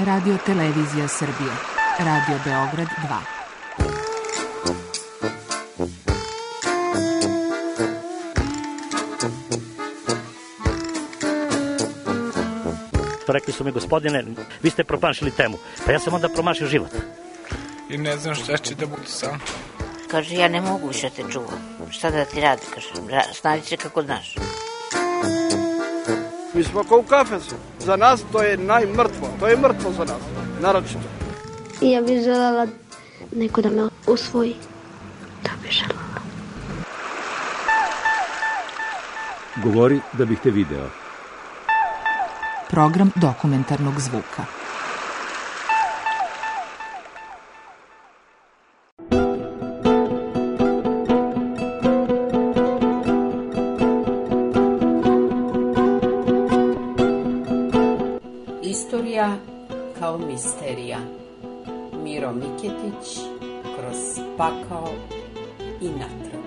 Radio Televizija Srbije, Radio Beograd 2. Rekli su mi, gospodine, vi ste promašili temu. Pa ja sam onda promašio život. I ne znam šta će da bude sam. Kaže, ja ne mogu više te čuvam. Šta da ti radi, kaže, snađi se kako znaš. Mi smo kao u kafesu. Za nas to je najmrtvo. To je mrtvo za nas, naročito. I ja bih želela neko da me usvoji. To bih želela. Govori da bih te video. Program dokumentarnog zvuka. Istorija kao misterija. Miro Miketić kroz pakao i natrag.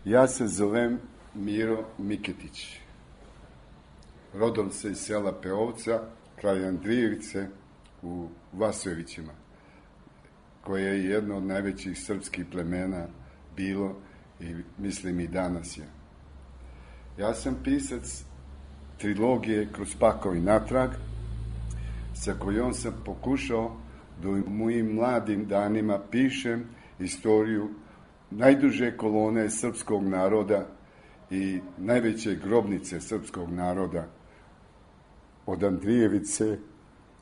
Ja se zovem Miro Miketić. Rodom se iz sela Peovca, kraj Andrijevice u Vasojevićima, koje je jedno od najvećih srpskih plemena bilo i mislim i danas je. Ja sam pisac trilogije Kroz pakao i natrag, sa kojom sam pokušao da u mojim mladim danima pišem istoriju najduže kolone srpskog naroda i najveće grobnice srpskog naroda od Andrijevice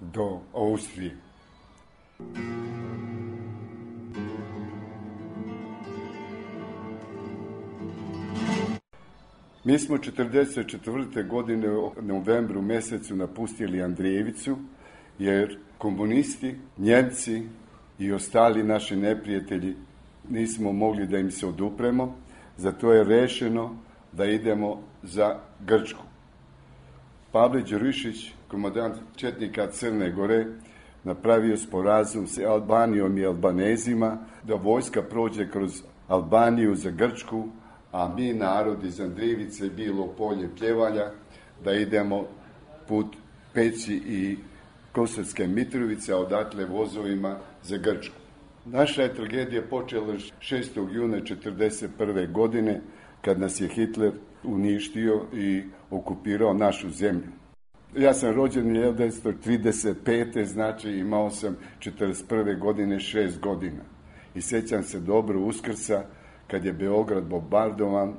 do Austrije. Mi smo 1944. godine u novembru mesecu napustili Andrijevicu, jer komunisti, Njemci i ostali naši neprijatelji nismo mogli da im se odupremo, zato je rešeno da idemo za Grčku. Pavle Đurišić, komandant četnika Crne Gore, napravio sporazum sa Albanijom i Albanezima da vojska prođe kroz Albaniju za Grčku, a mi, narod iz Andrijevice, bilo polje Pljevalja, da idemo put Peći i Kosovske Mitrovice, a odatle vozovima za Grčku. Naša je tragedija počela 6. juna 1941. godine, kad nas je Hitler uništio i okupirao našu zemlju. Ja sam rođen 1935. znači imao sam 1941. godine 6 godina. I sećam se dobro Uskrsa, kad je Beograd bombardovan,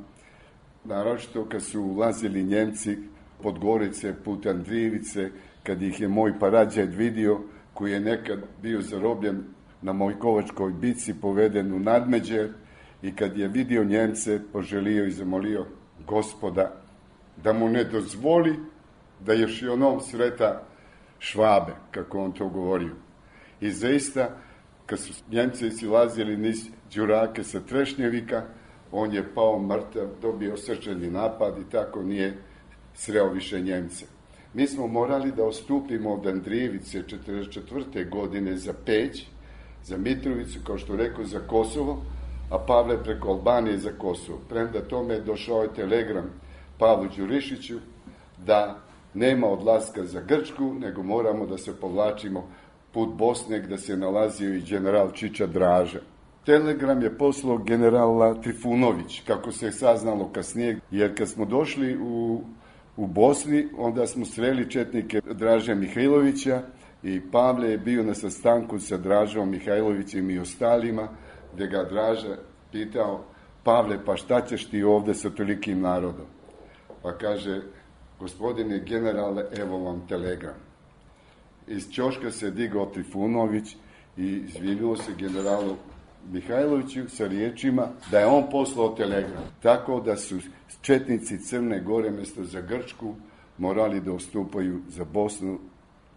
naročito kad su ulazili Njemci pod Gorice, put Andrijevice, kad ih je moj parađaj vidio, koji je nekad bio zarobljen na Mojkovačkoj bici, poveden u Nadmeđe, i kad je vidio Njemce, poželio i zamolio Gospoda da mu ne dozvoli da još i onom sreta Švabe, kako on to govorio. I zaista, kad su Njemci silazili niz Đurake sa Trešnjevika, on je pao mrtav, dobio srčani napad i tako nije sreo više Njemce. Mi smo morali da odstupimo od Andrijevice 1944. godine za Peć, za Mitrovicu, kao što rekao, za Kosovo, a Pavle preko Albanije za Kosovo. Premda tome je došao je telegram Pavlu Đurišiću da nema odlaska za Grčku, nego moramo da se povlačimo put Bosne, gde se nalazio i general Čiča Draža. Telegram je poslao generala Trifunović, kako se je saznalo kasnije, jer kad smo došli u Bosni, onda smo sreli četnike Draže Mihajlovića i Pavle je bio na sastanku sa Dražom Mihajlovićem i ostalima, gde ga Draža pitao: Pavle, pa šta ćeš ti ovde sa tolikim narodom? Pa kaže: gospodine generale, evo vam telegram. Iz ćoška se digao Trifunović i izvinio se generalu Mihajloviću sa riječima da je on poslao telegram. Tako da su četnici Crne Gore mjesto za Grčku morali da ustupaju za Bosnu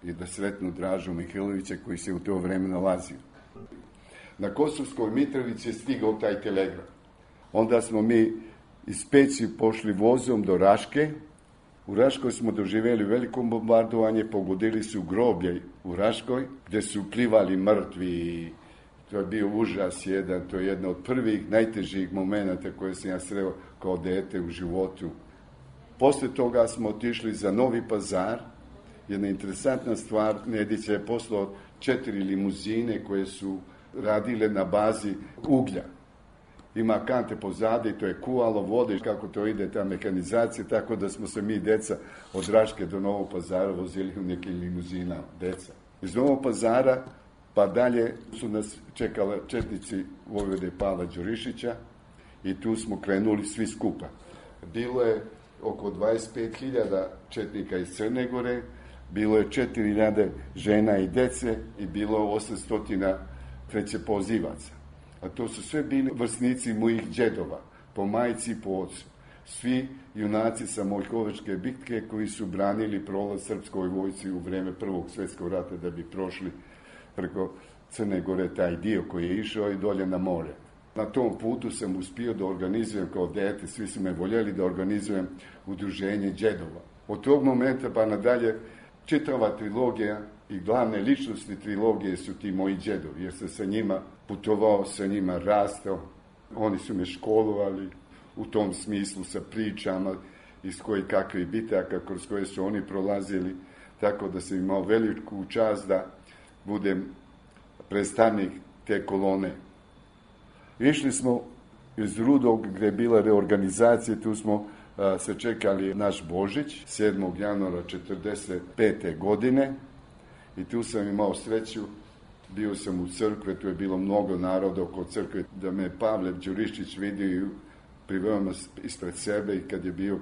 i da sretnu Dražu Mihajlovića, koji se u to vreme nalazio. Na Kosovskoj Mitrovici je stigao taj telegram. Onda smo mi iz Peći pošli vozom do Raške U Raškoj smo doživjeli veliko bombardovanje, pogodili su groblje u Raškoj, gdje su plivali mrtvi. To je bio užas jedan, to je jedna od prvih, najtežih momenata koje sam ja sreo kao dete u životu. Poslije toga smo otišli za Novi Pazar. Jedna interesantna stvar, Nedić je poslao 4 limuzine koje su radile na bazi uglja. Ima kante pozadi, to je kuvalo vode, kako to ide ta mekanizacija, tako da smo se mi, deca, od Raške do Novog Pazara vozili u nekim limuzina, deca. Iz Novog Pazara pa dalje su nas čekali četnici vojvode Pavla Đurišića i tu smo krenuli svi skupa. Bilo je oko 25.000 četnika iz Crne Gore, bilo je 4.000 žena i dece i bilo je 800 treće pozivaca. A to su sve bili vrsnici mojih džedova, po majici i po ocu. Svi junaci sa Mojkovačke bitke koji su branili prolaz srpskoj vojci u vreme Prvog svjetskog rata da bi prošli preko Crne Gore taj dio koji je išao i dolje na more. Na tom putu sam uspio da organizujem kao dete, svi su me voljeli da organizujem udruženje džedova. Od tog momenta pa nadalje čitava trilogija i glavne ličnosti trilogije su ti moji džedovi, jer sam sa njima putovao, sa njima rastao. Oni su me školovali u tom smislu sa pričama iz kojih kakvih bitaka kroz koje su oni prolazili, tako da sam imao veliku čast da budem predstavnik te kolone. Išli smo iz Rudog gdje je bila reorganizacija, tu smo se čekali naš Božić, 7. januara 1945. godine i tu sam imao sreću, bio sam u crkve, tu je bilo mnogo naroda oko crkve, da me Pavle Đurišić vidio i priveo me ispred sebe i kad je bio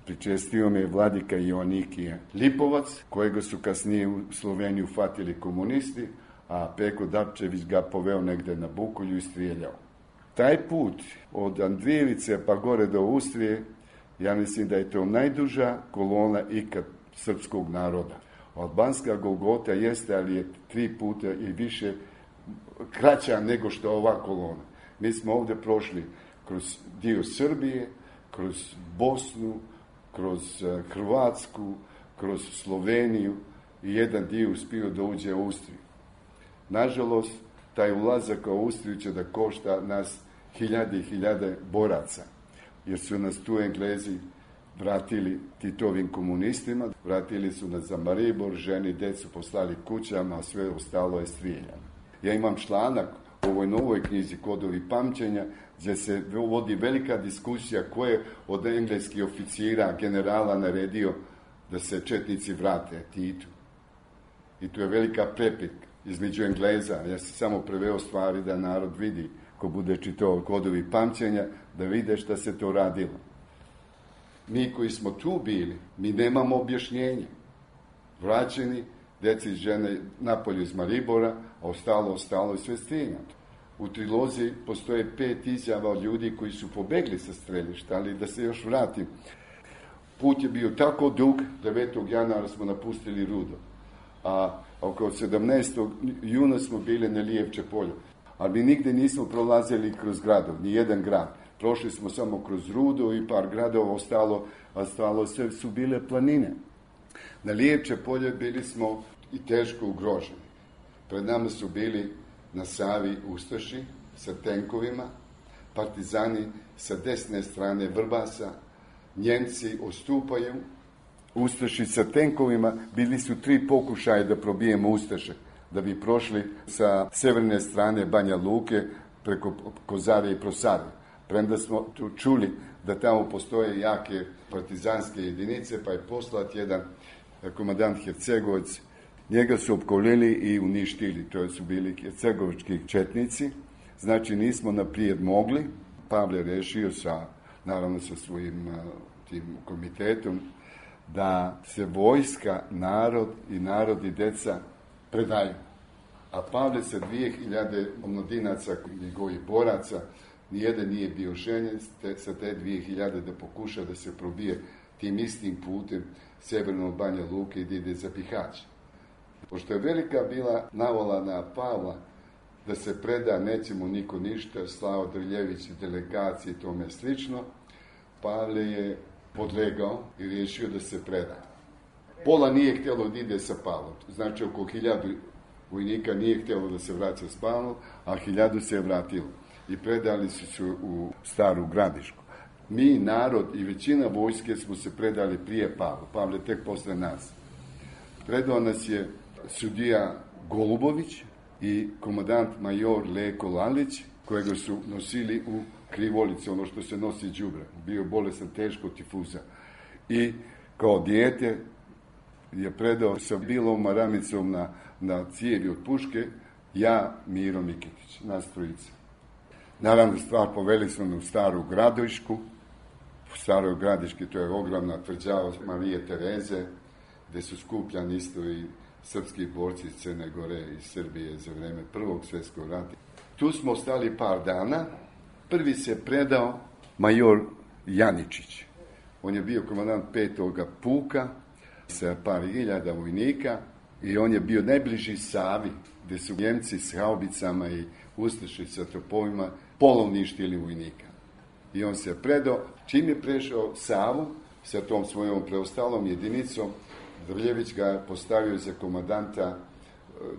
pričestio me vladika Joannikije Lipovac, kojega su kasnije u Sloveniju fatili komunisti, a Peko Dapčević ga poveo negde na Bukolju i strijeljao. Taj put od Andrijevice pa gore do Austrije, ja mislim da je to najduža kolona ikad srpskog naroda. Albanska Golgota jeste, ali je 3 puta i više kraća nego što je ova kolona. Mi smo ovdje prošli kroz dio Srbije, kroz Bosnu, kroz Hrvatsku, kroz Sloveniju i jedan dio uspio da uđe u Austriju. Nažalost, taj ulazak u Austriju će da košta nas hiljade i hiljade boraca, jer su nas tu Englezi vratili Titovim komunistima, vratili su nas za Maribor, ženi, decu poslali kućama, a sve ostalo je strijeljano. Ja imam članak u ovoj novoj knjizi Kodovi pamćenja, gdje se vodi velika diskusija ko je od engleskih oficira, generala naredio da se četnici vrate Titu. I tu je velika prepirka između Engleza. Ja sam samo preveo stvari da narod vidi, ko bude čitao Kodovi pamćenja, da vide šta se to radilo. Mi koji smo tu bili, mi nemamo objašnjenje. Vraćeni, deci i žene napolje iz Maribora, a ostalo je sve strijeljato. U trilozi postoje 5 izjava od ljudi koji su pobegli sa strelišta, ali da se još vratim. Put je bio tako dug, 9. januara smo napustili Rudo, a oko 17. juna smo bili na Lijevče polju. Ali mi nigde nismo prolazili kroz gradov, ni jedan grad. Prošli smo samo kroz Rudo i par gradova, ostalo sve su bile planine. Na Lijevče polje bili smo i teško ugroženi. Pred nama su bili na Savi ustaši sa tenkovima, partizani sa desne strane Vrbasa, Njemci ostupaju, ustaši sa tenkovima, bili su 3 pokušaja da probijemo ustaše, da bi prošli sa severne strane Banja Luke preko Kozare i Prosare. Premda smo tu čuli da tamo postoje jake partizanske jedinice, pa je poslat jedan komandant Hercegovac. Njega su opkolili i uništili, to su bili hercegovački četnici. Znači nismo naprijed mogli. Pavle rešio naravno sa svojim tim komitetom da se vojska, narod i deca predaju. A Pavle sa 2000 omladinaca, njegovih boraca, nijedan nije bio željen sa te 2000 da pokuša da se probije tim istim putem severno od Banja Luke i da ide za Bihać. Pošto je velika bila navola na Pavla da se preda, neće mu niko ništa, Slavo Drljević i delegacije i tome slično, Pavle je podlegao i riješio da se preda. Pola nije htjelo da ide sa Pavlom. Znači, oko 1000 vojnika nije htjelo da se vraća s Pavlom, a 1000 se je vratilo. I predali su se u Staru Gradišku. Mi, narod i većina vojske smo se predali prije Pavla. Pavle tek posle nas. Predao nas je sudija Golubović i komandant major Leko Lalić, kojega su nosili u krivolici, ono što se nosi đubre. Bio bolestan teško tifuza. I kao dijete je predao sa bilom maramicom na cijevi od puške, ja, Miro Miketić, nas trojica. Naravno, stvar poveli smo me u Staru Gradišku. U Staroj Gradiški, to je ogromna tvrđava Marije Tereze, gde su skupljani isto i srpski borci iz Crne Gore i Srbije za vreme Prvog svjetskog rata. Tu smo ostali par dana. Prvi se predao major Janičić. On je bio komandant 5. puka sa par hiljada vojnika i on je bio najbliži Savi, gde su Njemci s haubicama i ustaše sa topovima polovništili vojnika. I on se predao. Čim je prešao Savu sa tom svojom preostalom jedinicom, Drljević ga postavio za komandanta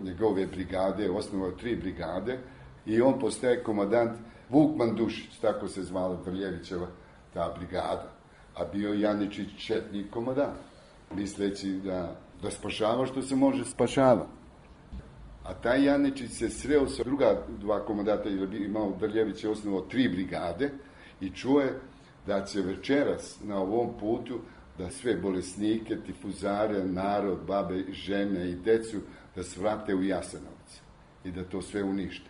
njegove brigade, osnovao 3 brigade i on postaje komandant Vuk Mandušić, tako se zvala Drljevićeva ta brigada. A bio Janičić četnik komandant, misleći da spašava što se može spašava. A taj Janičić se sreo sa druga 2 komandanta, jer je imao Drljević je osnovao 3 brigade i čuje da će večeras na ovom putu da sve bolesnike, tifuzare, narod, babe, žene i decu da svrate u Jasenovac i da to sve unište.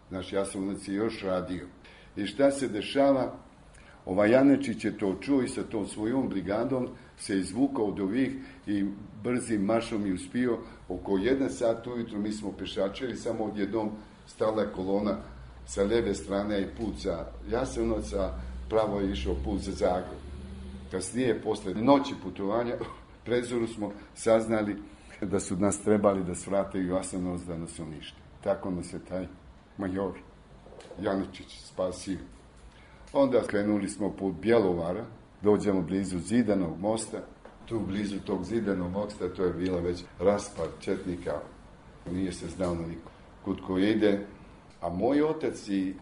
Naš Jasenovac je još radio. I šta se dešava? Ovaj Janičić je to čuo i sa tom svojom brigadom se izvukao od ovih i brzim maršom i uspio. Oko 1 sat ujutru mi smo pešačili, samo odjednom stala kolona sa leve strane i put za Jasenovac, a pravo je išao put za Zagreb. Kasnije, posle noći putovanja, prezoru smo saznali da su nas trebali da svrate u Jasenovac da nas unište. Tako nas je taj major Janičić spasio. Onda krenuli smo put Bjelovara, dođemo blizu Zidanog mosta. Tu blizu tog Zidanog mosta to je bila već raspad četnika. Nije se znao niko kud ko ide. A moj otac i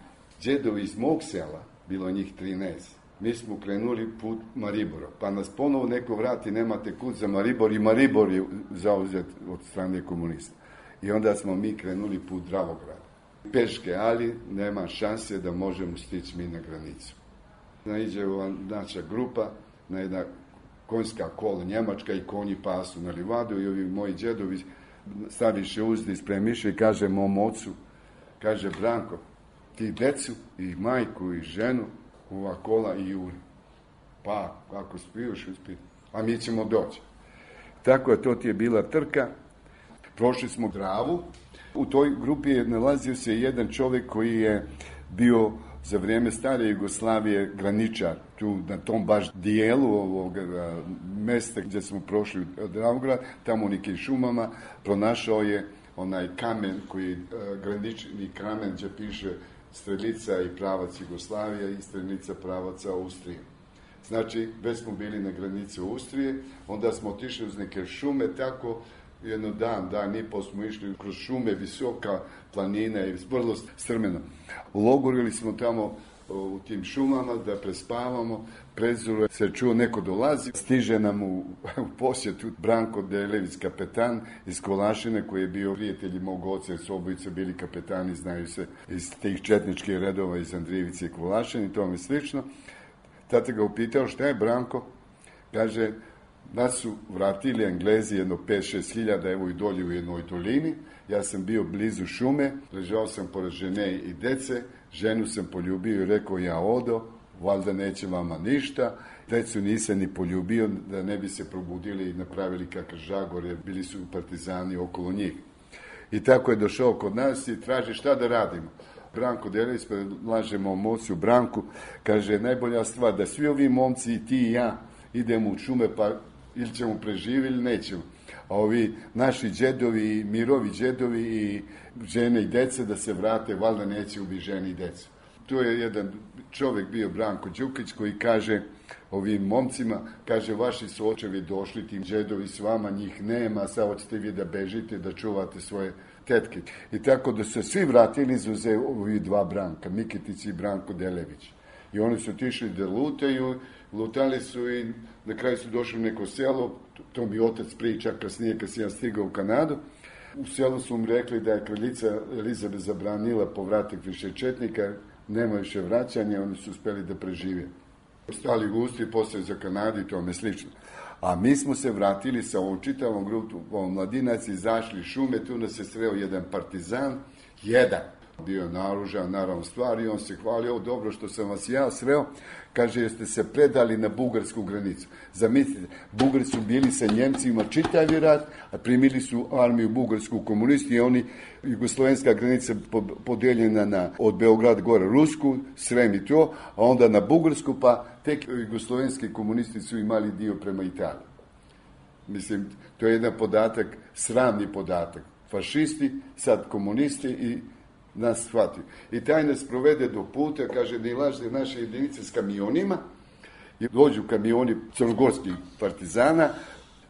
džedovi iz mog sela, bilo njih 13, mi smo krenuli put Maribora. Pa nas ponovo neko vrati, nemate kud za Maribor i Maribor je zauzet od strane komunista. I onda smo mi krenuli put Dravograda. Peške, ali nema šanse da možemo stići mi na granicu. Naiđe ova naša grupa na jedna konjska kola njemačka i konji pasu na livadu i ovi moji džedovi staviše uzdi spremiše i kaže mom ocu, kaže Branko, ti decu i majku i ženu ova kola i juri. Pa, ako spiješ, uspije. A mi ćemo doći. Tako je, to ti je bila trka. Prošli smo Dravu. U toj grupi je nalazio se jedan čovjek koji je bio za vrijeme stare Jugoslavije graničar. Tu na tom baš dijelu ovog mesta gdje smo prošli od Dravograd, tamo u nekim šumama, pronašao je onaj kamen koji je granični kamen gdje piše strelica i pravac Jugoslavije i strelica pravaca Austrije. Znači, već smo bili na granici Austrije, onda smo otišli uz neke šume, tako jedno dan i pol smo išli kroz šume, visoka planina i vrlo strmeno. Logorili smo tamo u tim šumama da prespavamo, prezore se čuo neko dolazi, stiže nam u posjetu Branko Delević, kapetan iz Kolašine, koji je bio prijatelj mog oca, jer su obojice bili kapetani, znaju se iz tih četničkih redova iz Andrijevice i Kolašine i tome slično. Tata ga upitao šta je Branko, kaže, nas su vratili Englezi jedno 5-6 hiljada, evo i dolje u jednoj dolini. Ja sam bio blizu šume, ležao sam pored žene i dece, ženu sam poljubio i rekao ja odo, valjda neće vama ništa. Decu nisam ni poljubio da ne bi se probudili i napravili kakav žagor, jer bili su partizani okolo njih. I tako je došao kod nas i traži šta da radimo. Branko Delević predlaže mom ocu Branku, kaže najbolja stvar da svi ovi momci i ti i ja idemo u šume pa ili ćemo preživjeti ili nećemo. A ovi naši džedovi, Mirovi džedovi i žene i dece da se vrate, valjda neće ubiti žene i decu. To je jedan čovjek bio, Branko Đukić, koji kaže ovim momcima, kaže, vaši su očevi došli, ti džedovi s vama, njih nema, sad hoćete vi da bežite, da čuvate svoje tetke. I tako da se svi vratili izuze ovi dva Branka, Miketić i Branko Delević. I oni su otišli da lutaju, lutali su i na kraju su došli u neko selo, to mi otac priča kasnije kad sam ja stigao u Kanadu. U selu su mu rekli da je kraljica Elizabet zabranila povratak više četnika, nema više vraćanja, oni su uspeli da prežive. Stali gusti, poslije za Kanadu i tome slično. A mi smo se vratili sa ovom čitavom grupom mladinaca, izašli šume, tu nas je sreo jedan partizan, bio naoružan, naravno stvari, on se hvalio, dobro što sam vas ja sreo, kaže, jeste se predali na bugarsku granicu. Zamislite, Bugari su bili sa Njemcima čitavi rat, a primili su armiju bugarsku komunisti i oni, jugoslovenska granica podeljena od Beograda gore Rusku, Srem i to, a onda na bugarsku, pa tek jugoslovenski komunisti su imali dio prema Italiji. Mislim, to je jedan podatak, sramni podatak. Fašisti, sad komunisti i nas shvatio. I taj nas provede do puta, kaže, da ilaže naše jedinice s kamionima, i dođu kamioni crnogorskih partizana,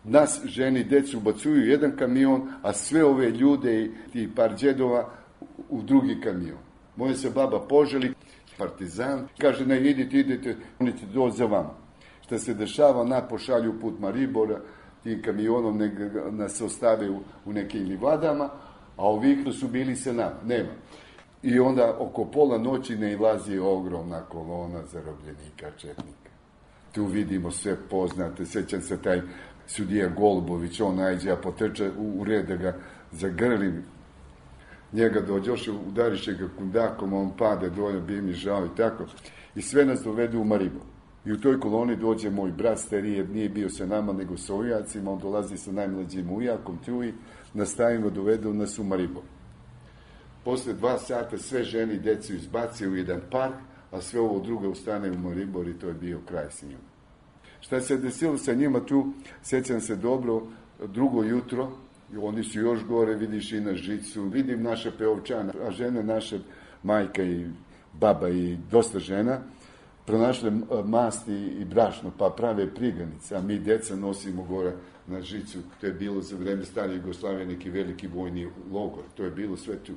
nas, ženi, decu ubacuju jedan kamion, a sve ove ljude i ti par džedova u drugi kamion. Moja se baba poželi, partizan, kaže, ne, idite, oni će doći za vama. Šta se dešava, na pošalju put Maribora, tim kamionom nas ostave u nekim livadama, a ovih su bili se nema. I onda oko pola noći ne ilazi ogromna kolona zarobljenika četnika. Tu vidimo sve poznate, sjećam se taj sudija Golubović, on najđe, a potrče u red da ga zagrli. Njega dođoše, udariše ga kundakom, on pade dolje, bi mi žao i tako. I sve nas dovedu u Maribor. I u toj koloni dođe moj brat stariji, nije bio sa nama nego sa ujacima, on dolazi sa najmlađim ujakom tu i nastavimo, dovedu nas u Maribor. Posle 2 sata sve žene i djecu izbaci u jedan park, a sve ovo drugo ustane u Maribor i to je bio kraj s njima. Šta se desilo sa njima tu, sjećam se dobro, drugo jutro, oni su još gore, vidiš i na žicu, vidim naše peovčane, a žene naše, majka i baba i dosta žena, pronašle masti i brašno, pa prave priganice, a mi djeca nosimo gore na žicu. To je bilo za vreme stare Jugoslavije neki veliki vojni logor, to je bilo sve tu.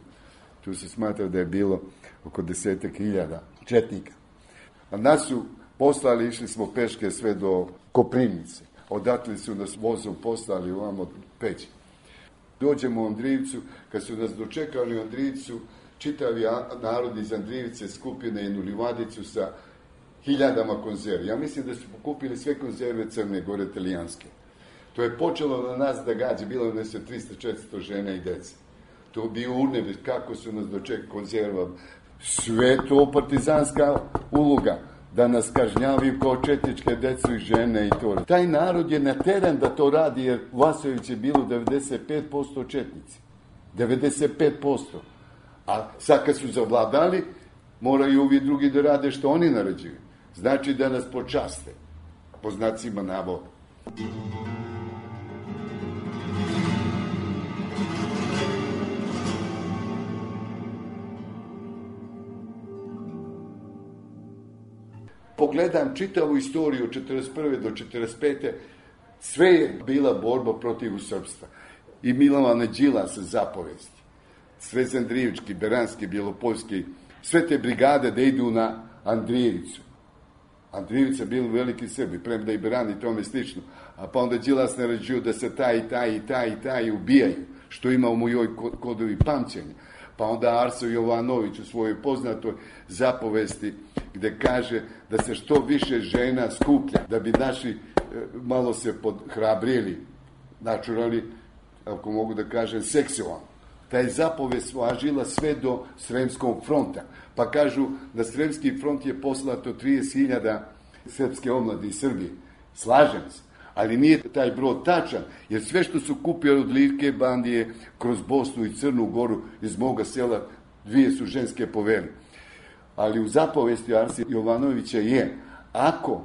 Tu se smatra da je bilo oko 10.000 četnika. A nas su poslali, išli smo peške sve do Koprivnice. Odatle su nas vozom poslali ovamo Peći. Dođemo u Andrijevcu, kad su nas dočekali u Andrijevcu, čitavi narod iz Andrijevice skupi na jednu livadicu sa 1000 konzervi. Ja mislim da su pokupili sve konzerve Crne Gore, italijanske. To je počelo na nas da gađe, bilo nas je 300-400 žena i dece. To bio urnebe, kako su nas dočekali konzerva. Sve to partizanska uloga, da nas kažnjavaju kao četničke decu i žene i to. Taj narod je nateren da to radi, jer u Vasović je bilo 95% četnici. 95%. A sad kad su zavladali, moraju ovi drugi da rade što oni naređuju. Znači da nas počaste, po znacima navoda. Pogledam čitavu istoriju od 41. do 45. Sve je bila borba protiv srpstva. I Milovana Đilasa zapovesti. Sve Andrijevički, Beranski, Bjelopoljski, sve te brigade da idu na Andrijevicu. Andrijevica bili veliki Srbi, premda i Beran i tome slično. A pa onda Đilas naređuju da se taj ubijaju, što ima u mojoj kodovi pamćenja. Pa onda Arso Jovanović u svojoj poznatoj zapovesti gde kaže da se što više žena skuplja, da bi naši malo se podhrabrili, načurali, ako mogu da kažem, seksualno. Taj zapovest važila sve do Sremskog fronta. Pa kažu da Sremski front je poslato 30.000 srpske omlade iz Srbije. Slažem se, ali nije taj broj tačan, jer sve što su kupili od Livke bandije kroz Bosnu i Crnu Goru iz moga sela, 2 su ženske poveli. Ali u zapovesti Arsi Jovanovića je, ako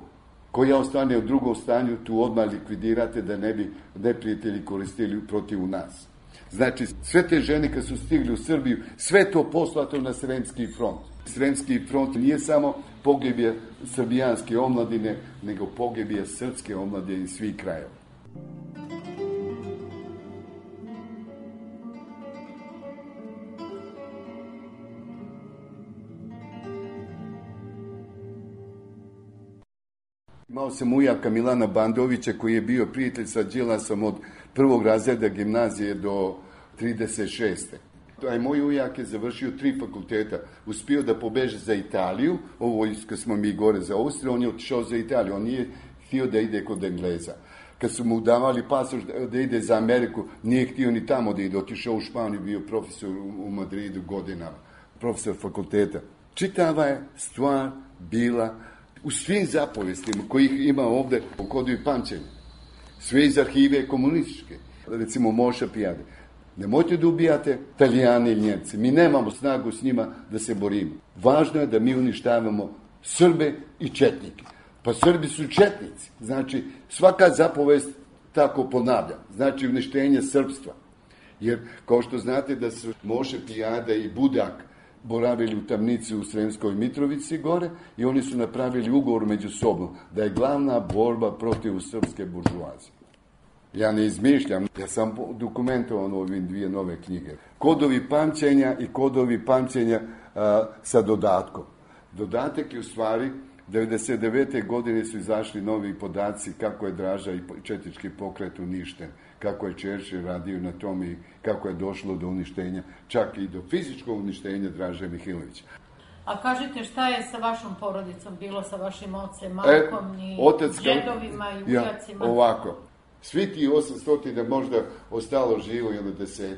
koja ostane u drugom stanju, tu odmah likvidirate da ne bi neprijatelji koristili protiv nas. Znači, sve te žene kad su stigli u Srbiju, sve to poslato na Sremski front. Sremski front nije samo pogibije srbijanske omladine, nego pogibije srpske omladine iz svih krajeva. Imao sam ujaka Milana Bandovića koji je bio prijatelj sa Đilasom od prvog razreda gimnazije do 36. Taj moj ujak je završio 3 fakulteta. Uspio da pobeže za Italiju, ovo kad smo mi gore za Austriju, on je otišao za Italiju, on nije htio da ide kod Engleza. Kad su mu davali pasoš da ide za Ameriku, nije htio ni tamo da ide, otišao u Španiju, bio profesor u Madridu godinama, profesor fakulteta. Čitava je stvar bila u svim zapovestima kojih ima ovde u Kodu i pamćenja. Sve iz arhive komunističke, recimo Moša Pijade. Nemojte da ubijate Italijani i Njemci. Mi nemamo snagu s njima da se borimo. Važno je da mi uništavamo Srbe i četnike. Pa Srbi su četnici. Znači, svaka zapovest tako ponavlja. Znači, uništenje srpstva. Jer, kao što znate da su Moše Pijada i Budak boravili u tamnici u Sremskoj Mitrovici gore i oni su napravili ugovor među sobom da je glavna borba protiv srpske buržuazije. Ja ne izmišljam, ja sam dokumentovan u ovim 2 nove knjige. Kodovi pamćenja i Kodovi pamćenja sa dodatkom. Dodatak je u stvari, 1999. godine su izašli novi podaci kako je Draža i četnički pokret uništen, kako je Čerčil radio na tom i kako je došlo do uništenja, čak i do fizičkog uništenja Draže Mihajlovića. A kažite, šta je sa vašom porodicom bilo, sa vašim ocem, majkom i džedovima i ujacima? Ovako, svi ti 800 možda ostalo živo ili 10.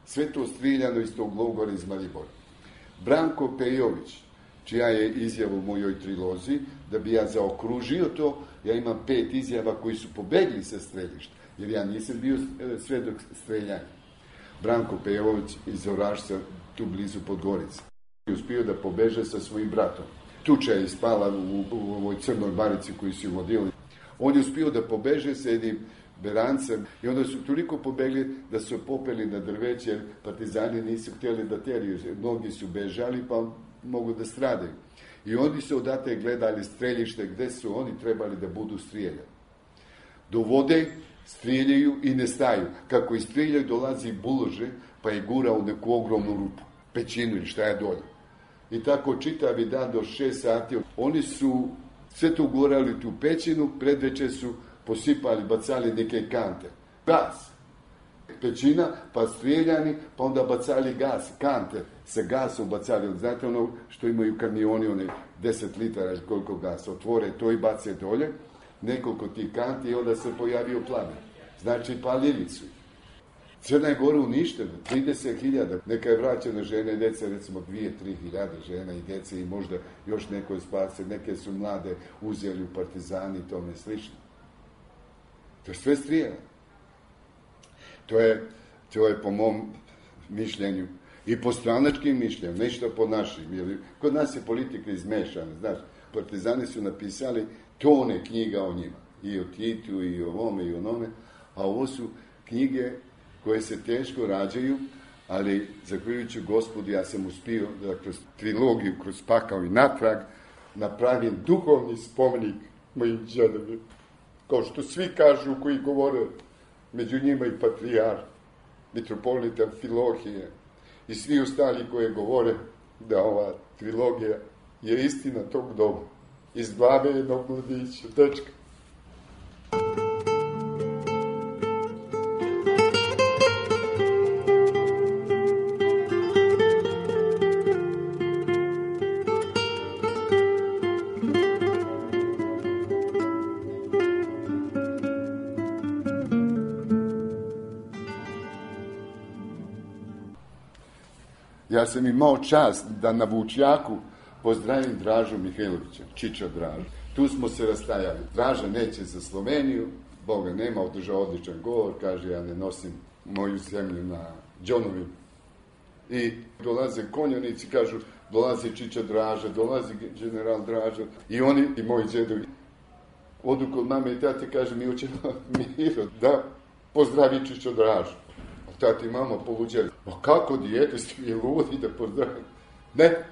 Sve to striljano iz tog logora iz Maribora. Branko Pejović, čija je izjava u mojoj trilozi, da bi ja zaokružio to, ja imam 5 izjava koji su pobegli sa streljišta, jer ja nisam bio svedok streljanja. Branko Pejović iz Orašca, tu blizu Podgorice. Uspio da pobeže sa svojim bratom. Tuča je ispala u ovoj crnoj barici koju su vodili. On je uspio da pobeže sa jednim berancem i onda su toliko pobegli da su popeli na drveće, jer partizani nisu htjeli da teriju. Mnogi su bežali pa mogu da stradaju. I oni su odate gledali streljište gde su oni trebali da budu strijeljani. Do vode strijeljaju i ne staju. Kako i strijeljaju dolazi bulože pa je gura u neku ogromnu rupu, pećinu ili šta je dolje. I tako čitavi dan do 6 sati. Oni su sve to gurali tu pećinu, predveče su posipali, bacali neke kante. Gas. Pećina, pa strijeljani, pa onda bacali gas, kante sa gasom bacali. Znate ono što imaju kamioni, one 10 litara ili koliko gasa, otvore to i bace dolje, nekoliko tih kanti i onda se pojavio plamen. Znači palili su ih. Crna je Gora uništena, 30.000, neka je vraćena žene i djece, recimo 2-3 hiljade žena i djece i možda još neko je spase, neke su mlade uzeli u partizani i tome slično. To je sve strijelo. To je po mom mišljenju i po stranačkim mišljenju, nešto po našim. Jer kod nas je politika izmešana, znaš, partizani su napisali tone knjiga o njima, i o Titu, i o ovome, i o onome, a ovo su knjige koje se teško rađaju, ali zahvaljujući Gospodu ja sam uspio da kroz trilogiju, kroz Pakao i natrag, napravim duhovni spomenik mojim džedovima. Kao što svi kažu koji govore, među njima i patrijar, mitropolita Amfilohije i svi ostali koji govore da ova trilogija je istina tog doba. Iz glave jednog mladića, dečka. Ja sam imao čast da na Vučjaku pozdravim Dražu Mihajlovića, Čiča Dražu. Tu smo se rastajali. Draža neće za Sloveniju, Boga nema, održao odličan govor, kaže ja ne nosim moju zemlju na džonovima. I dolaze konjanici, kažu dolazi Čiča Draža, dolazi general Draža i oni i moji džedovi. Odu kod mame i tate, kaže mi hoćemo Miro da pozdravi Čiča Dražu. Tati i mama poluđali, a kako dijete ste vi ludi da pozdravim? Ne,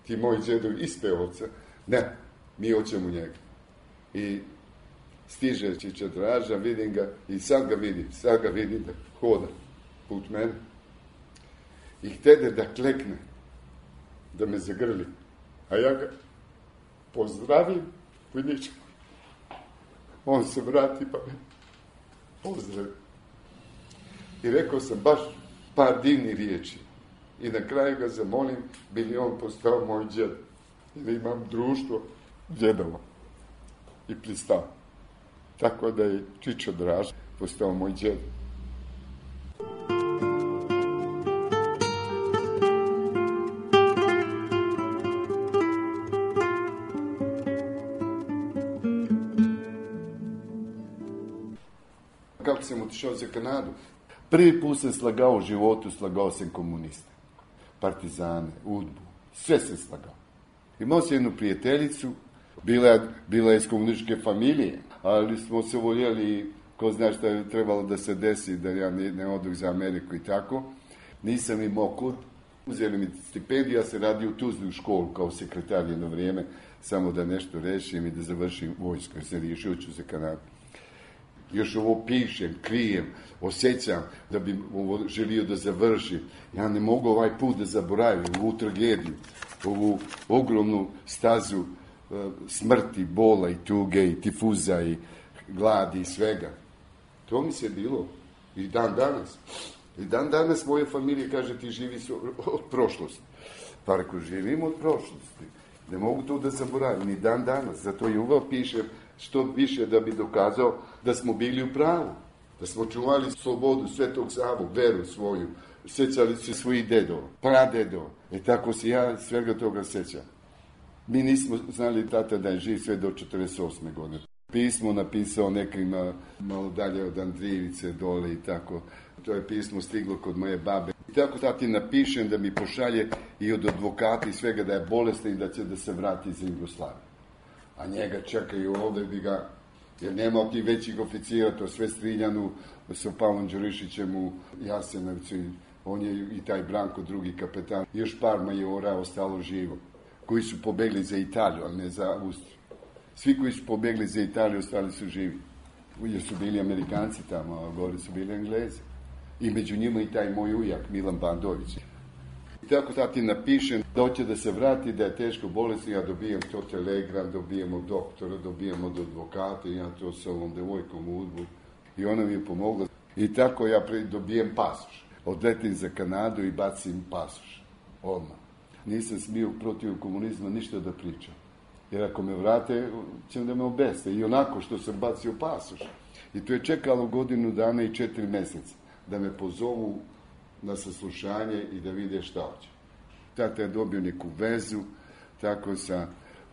ti moji djedovi ispeovca. Ne, mi hoćemo njega. I stiže Čiča Draža, vidim ga i sad ga vidim da hoda put mene. I htede da klekne, da me zagrli. A ja ga pozdravim, viničko. On se vrati pa me pozdravi. I rekao sam baš par divnih riječi. I na kraju ga zamolim, bi li on postao moj djed. I da imam društvo djedova. I pristao. Tako da je Čičo Draža postao moj djed. Kako sam otišao za Kanadu? Prvi put sam slagao u životu, slagao sam komuniste, partizane, udbu, sve sam slagao. Imao sam jednu prijateljicu, bila je iz komunističke familije, ali smo se voljeli, ko zna šta je trebalo da se desi, da ja ne odu za Ameriku i tako. Nisam imao kud, uzeli mi stipendiju, ja se radio u Tuzli u školu kao sekretar jedno vrijeme, samo da nešto rešim i da završim vojsku, jer sam riješio ću za Kanadu. Još ovo pišem, krijem, osjećam da bi ovo želio da završim. Ja ne mogu ovaj put da zaboravim, ovu tragediju, ovu ogromnu stazu smrti, bola i tuge i tifuza i gladi i svega. To mi se bilo i dan danas. I dan danas moja familija kaže ti živi od prošlosti. Pa ako živim od prošlosti, ne mogu to da zaboravim ni dan danas. Zato i uvijek pišem što više da bi dokazao da smo bili u pravu. Da smo čuvali slobodu Svetog Savu, veru svoju. Sjećali se svojih dedova, pradedova. Tako se ja svega toga sjećam. Mi nismo znali tata da je živ sve do 48. godine. Pismo napisao nekima malo dalje od Andrijevice dole i tako. To je pismo stiglo kod moje babe. I tako tati napišem da mi pošalje i od advokata i svega da je bolestan i da će da se vrati za Jugoslaviju. A njega čekaju ovdje bi ga, jer nema ti većih oficijera, to sve striljanu sa Pavlom Đurišićem u Jasenovcu. On je i taj Branko, drugi kapetan. Još par majora ostalo živo, koji su pobegli za Italiju, ali ne za Austriju. Svi koji su pobegli za Italiju ostali su živi. Jer su bili Amerikanci tamo, a gore su bili Englezi. I među njima i taj moj ujak, Milan Bandović. I tako tati napišem da hoće da se vrati, da je teško bolestan, ja dobijem to telegram, dobijem od doktora, dobijem od advokata, ja to sa ovom devojkom u udbu. I ona mi je pomogla. I tako ja dobijem pasoš. Odletim za Kanadu i bacim pasoš. Odmah. Nisam smio protiv komunizma ništa da pričam. Jer ako me vrate, će da me obeste. I onako što sam bacio pasoš. I to je čekalo 1 godinu dana i 4 mjeseca. Da me pozovu na saslušanje i da vide šta hoće. Tata je dobio neku vezu, tako sa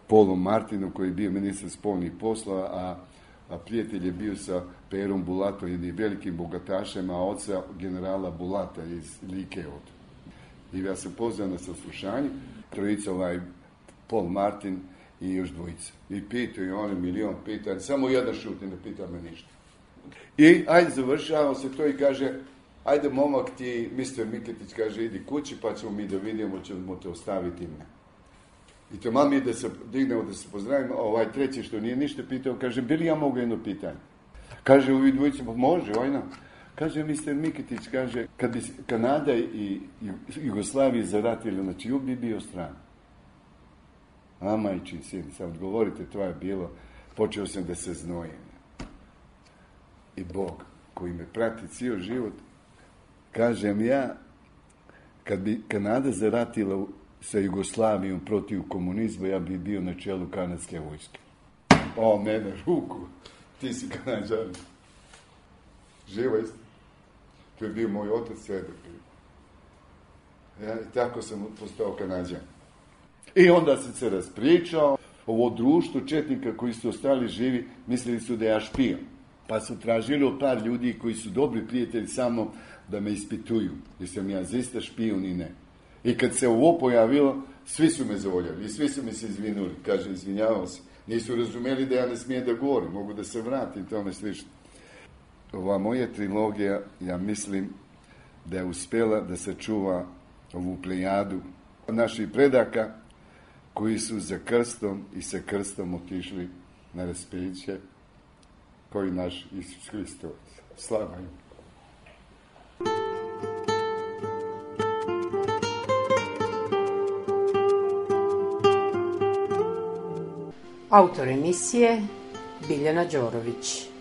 Polom Martinom, koji je bio ministar spoljnih poslova, a prijatelj je bio sa Perom Bulatom, jednim velikim bogatašem, a oca generala Bulata iz Like. I ja sam pozvao na saslušanje, trojica, Paul Martin i još dvojica. I pitaju oni milion pitanja, samo jedan šuti, ne pita me ništa. I ajde, završavamo se to i kaže, ajde momak ti, Mr. Miketić kaže, idi kući pa ćemo mi da vidimo, ćemo te ostaviti me. I to mami da se dignemo, da se pozdravimo, a ovaj treći što nije ništa pitao, kaže, bi li ja mogu jedno pitanje? Kaže, ovi dvojice, pa može, ojna. Kaže, Mr. Miketić, kaže, kad bi Kanada i Jugoslavije zaratili, znači, jug bi bio stran. A majčin sin, sad odgovorite, to je bilo, počeo sam da se znojim. I Bog, koji me prati cijel život, kažem ja, kad bi Kanada zaratila sa Jugoslavijom protiv komunizma, ja bi bio na čelu kanadske vojske. O, mene, ruku, ti si Kanadžan. Živa istina. To je bio moj otac svedok. Ja, i tako sam postao Kanadžan. I onda sam se raspričao, ovo društvo četnika koji su ostali živi, mislili su da ja špijon. Pa su tražili od par ljudi koji su dobri prijatelji sa mnom da me ispituju. Jesam ja zaista špijun i ne. I kad se ovo pojavilo, svi su me zavoljali i svi su mi se izvinuli. Kaže, izvinjavam se. Nisu razumeli da ja ne smijem da govorim, mogu da se vratim, tome slično. Ova moja trilogija, ja mislim da je uspjela da sačuva ovu plejadu naših predaka koji su za krstom i sa krstom otišli na raspeće, kao i naš Isus Hristos. Slava im. Autor emisije Biljana Đorović.